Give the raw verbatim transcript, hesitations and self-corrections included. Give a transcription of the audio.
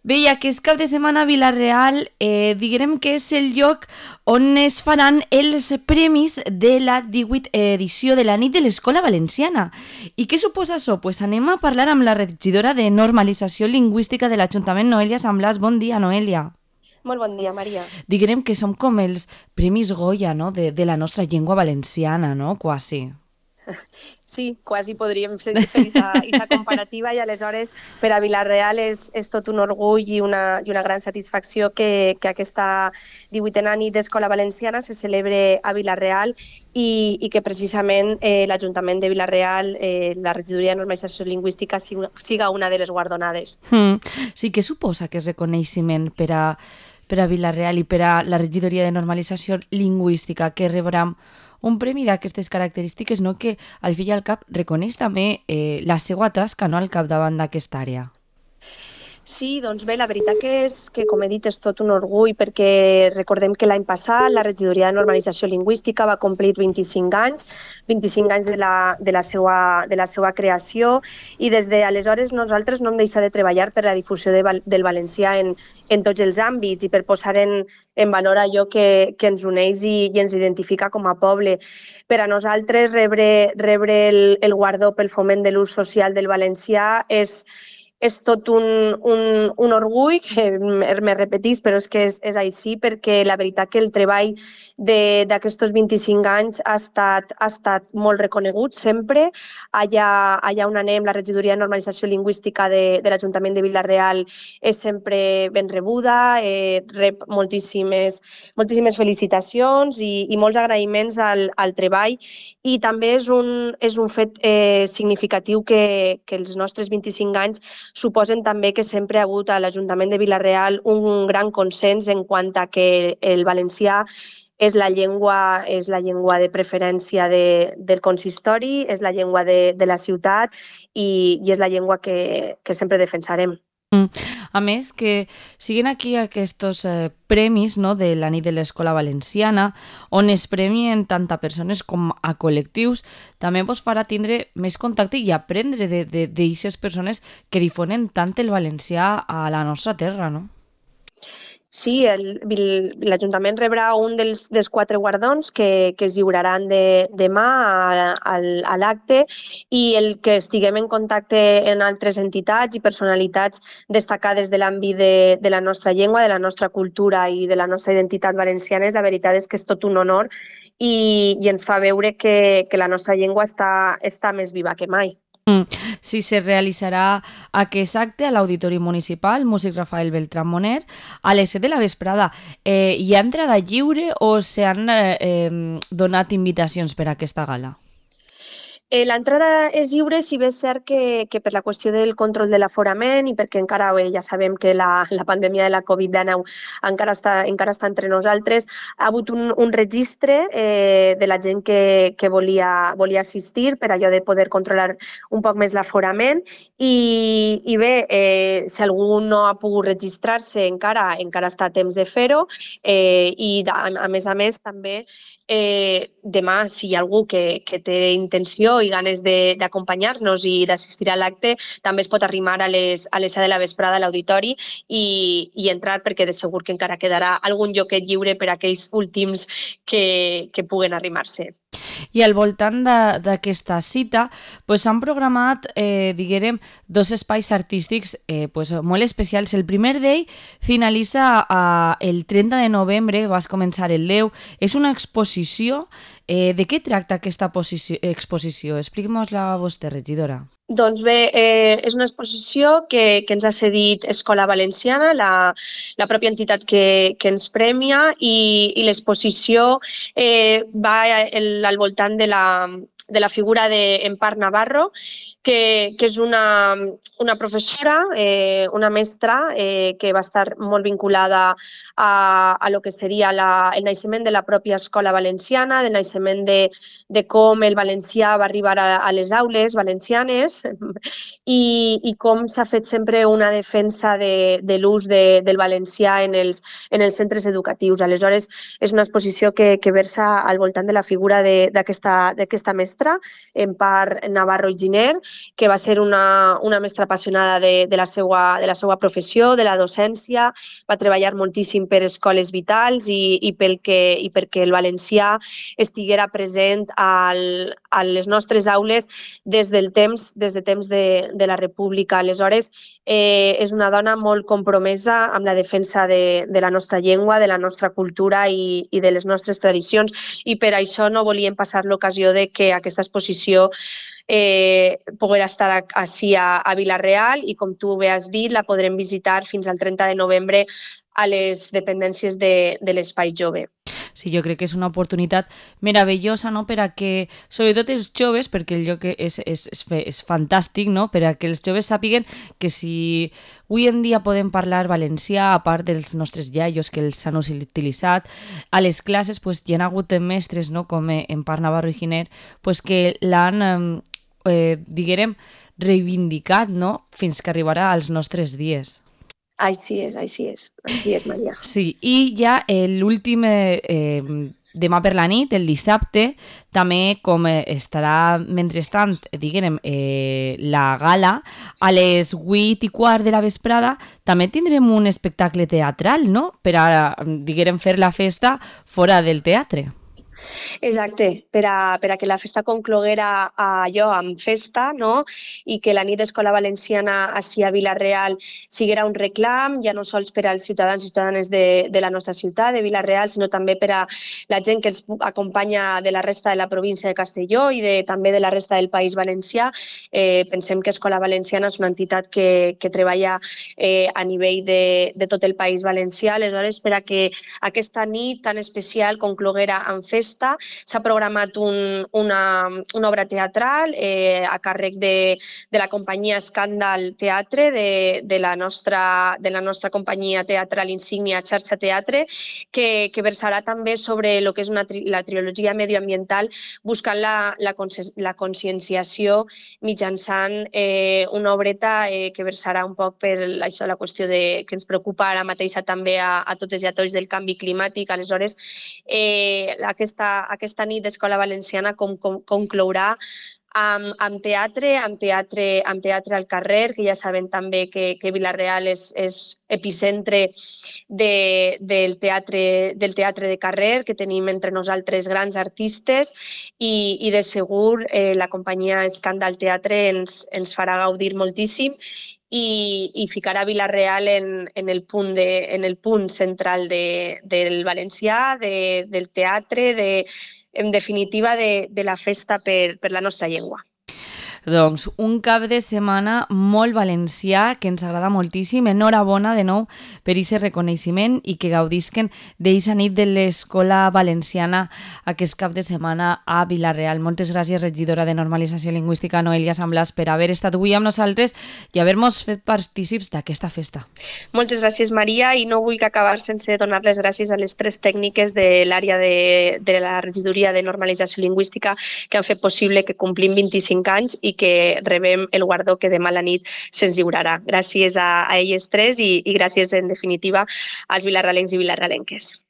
Bé, i aquest cap de setmana a Vila-real eh, diguem que és el lloc on es faran els premis de la divuitena edició de la nit de l'Escola Valenciana. I què suposa això? Pues anem a parlar amb la regidora de Normalització Lingüística de l'Ajuntament, Noelia Samblàs. Bon dia, Noelia. Molt bon dia, Maria. Diguem que som com els Premis Goya, no?, de, de la nostra llengua valenciana, no?, quasi. Sí, quasi podríem fer aquesta comparativa i aleshores per a Vila-real és, és tot un orgull i una, i una gran satisfacció que, que aquesta divuitena nit d'Escola Valenciana se celebre a Vila-real i, i que precisament eh, l'Ajuntament de Vila-real, eh, la Regidoria de Normalització Lingüística siga una de les guardonades. Mm. Sí, què suposa aquest reconeixement per a, per a Vila-real i per a la Regidoria de Normalització Lingüística, que rebrà un premi d'aquestes característiques, no?, que al fi i al cap reconeix també eh, la seva tasca, no?, al capdavant d'aquesta àrea? Sí, doncs bé, la veritat que és que, com he dit, és tot un orgull perquè recordem que l'any passat la Regidoria de Normalització Lingüística va complir vint-i-cinc anys, vint-i-cinc anys de la, de la, seva, de la seva creació i des d'aleshores nosaltres no hem deixat de treballar per la difusió de, del valencià en, en tots els àmbits i per posar en, en valor allò que, que ens uneix i, i ens identifica com a poble. Per a nosaltres rebre, rebre el, el guardó pel foment de l'ús social del valencià és és tot un, un, un orgull, que me repetís, però és que és, és així, perquè la veritat que el treball d'aquests vint-i-cinc anys ha estat, ha estat molt reconegut sempre. Allà, allà on anem, la Regidoria de Normalització Lingüística de, de l'Ajuntament de Vila-real és sempre ben rebuda, eh, rep moltíssimes, moltíssimes felicitacions i, i molts agraïments al, al treball i també és un, és un fet eh, significatiu que, que els nostres vint-i-cinc anys suposen també que sempre ha hagut a l'Ajuntament de Vila-real un gran consens en quant a que el valencià és la llengua, és la llengua de preferència de, del consistori, és la llengua de, de la ciutat i, i és la llengua que, que sempre defensarem. A més, que siguin aquí aquests eh, premis, no?, de la nit de l'Escola Valenciana, on es premien tant a persones com a col·lectius, també vos farà tindre més contacte i aprendre d'aquestes persones que difonen tant el valencià a la nostra terra, no? Sí, l'Ajuntament rebrà un dels, dels quatre guardons que, que es lliuraran de, demà a, a, a l'acte i el que estiguem en contacte en altres entitats i personalitats destacades de l'àmbit de, de la nostra llengua, de la nostra cultura i de la nostra identitat valenciana, la veritat és que és tot un honor i, i ens fa veure que, que la nostra llengua està, està més viva que mai. Sí, se realitzarà aquest acte a l'Auditori Municipal Músic Rafael Beltrán Moner a les set de la vesprada. Eh, hi ha entrada lliure o s'han eh, eh, donat invitacions per a aquesta gala? Eh, L'entrada és lliure, si bé és cert que, que per la qüestió del control de l'aforament i perquè encara bé, ja sabem que la, la pandèmia de la covid dinou encara està, encara està entre nosaltres, ha hagut un, un registre eh, de la gent que, que volia, volia assistir per allò de poder controlar un poc més l'aforament i, i bé, eh, si algú no ha pogut registrar-se encara, encara està a temps de fer-ho eh, i a, a més a més també Eh, demà, si hi ha algú que, que té intenció i ganes d'acompanyar-nos i d'assistir a l'acte, també es pot arrimar a les, a les set de la vesprada a l'auditori i, i entrar perquè de segur que encara quedarà algun lloquet lliure per a aquells últims que, que puguen arrimar-se. I al voltant d'aquesta cita pues, s'han programat, eh, diguem, dos espais artístics eh, pues, molt especials. El primer d'ell finalitza a, el trenta de novembre, vas començar el deu. És una exposició. Eh, de què tracta aquesta exposició? Expliquem-nos-la a vostè, regidora. Doncs bé, eh, és una exposició que, que ens ha cedit Escola Valenciana, la, la pròpia entitat que, que ens premia i, i l'exposició eh, va el, al voltant de la, de la figura d'Empar Navarro, que, que és una, una professora, eh, una mestra eh, que va estar molt vinculada a, a lo que seria la, el naixement de la pròpia Escola Valenciana, del naixement de, de com el valencià va arribar a, a les aules valencianes i, i com s'ha fet sempre una defensa de, de l'ús de, del valencià en els, en els centres educatius. Aleshores, és una exposició que, que versa al voltant de la figura d'aquesta mestra, Empar Navarro i Giner, que va ser una, una mestra apassionada de, de, la seva, de la seva professió, de la docència, va treballar moltíssim per escoles vitals i, i, pel que, i perquè el valencià estiguera present al, a les nostres aules des del temps, des de temps de, de la República. Aleshores, eh, és una dona molt compromesa amb la defensa de, de la nostra llengua, de la nostra cultura i, i de les nostres tradicions, i per això no volíem passar l'ocasió de que aquesta exposició eh, poguera estar així a, a Vila-real i, com tu bé has dit, la podrem visitar fins al trenta de novembre a les dependències de, de l'Espai Jove. Sí, jo crec que és una oportunitat meravellosa, no?, per a que, sobretot els joves, perquè el lloc és, és, és, és fantàstic, no?, per a que els joves sàpiguen que si avui en dia podem parlar valencià, a part dels nostres iaios que els han utilitzat, a les classes pues, hi ha hagut mestres, no?, com en Parc Navarro i Giner, pues, que l'han, eh, diguem, reivindicat, no?, fins que arribarà als nostres dies. Així és, així és, així és, Maria. Sí, i ja l'últim, eh, demà per la nit, el dissabte, també com estarà, mentrestant, diguem, eh, la gala, a les vuit i quart de la vesprada, també tindrem un espectacle teatral, no?, per a, diguem, fer la festa fora del teatre. Exacte, per a, per a que la festa concloguera allò amb festa, no?, i que la nit d'Escola Valenciana així a Vila-real siguera un reclam, ja no sols per als ciutadans i ciutadanes de, de la nostra ciutat, de Vila-real, sinó també per a la gent que ens acompanya de la resta de la província de Castelló i de, també de la resta del País Valencià. Eh, pensem que Escola Valenciana és una entitat que, que treballa eh, a nivell de, de tot el País Valencià. Aleshores, per a que aquesta nit tan especial concloguera amb festa, s'ha programat un, una, una obra teatral eh, a càrrec de, de la companyia Escàndal Teatre, de, de, la nostra, de la nostra companyia teatral insígnia Xarxa Teatre, que, que versarà també sobre el que és una, la trilogia medioambiental, buscant la, la, la conscienciació mitjançant eh, una obreta eh, que versarà un poc per això, la qüestió de, que ens preocupa ara mateixa també a, a totes i a tots del canvi climàtic. Aleshores, eh, aquesta aquesta nit d'Escola Valenciana com, com, conclourà amb, amb teatre, amb teatre, amb teatre al carrer, que ja sabem també que, que Vila-real és, és epicentre de, del, teatre, del teatre de carrer, que tenim entre nosaltres grans artistes i, i de segur eh, la companyia Escàndal Teatre ens, ens farà gaudir moltíssim i, i ficarà Vila-real en, en, el punt de, en el punt central de, del valencià, de, del teatre, de, en definitiva de, de la festa per, per la nostra llengua. Doncs un cap de setmana molt valencià que ens agrada moltíssim. Enhorabona de nou per aquest reconeixement i que gaudisquen d'aquesta nit de l'Escola Valenciana aquest cap de setmana a Vila-real. Moltes gràcies, regidora de Normalització Lingüística, Noelia San Blas, per haver estat avui amb nosaltres i haver-nos fet partícips d'aquesta festa. Moltes gràcies, Maria, i no vull acabar sense donar les gràcies a les tres tècniques de l'àrea de, de la regidoria de Normalització Lingüística que han fet possible que complim vint-i-cinc anys i que rebem el guardó que demà a la nit se'ns lliurarà. Gràcies a, a elles tres i, i gràcies, en definitiva, als vilarralencs i vilarralenques.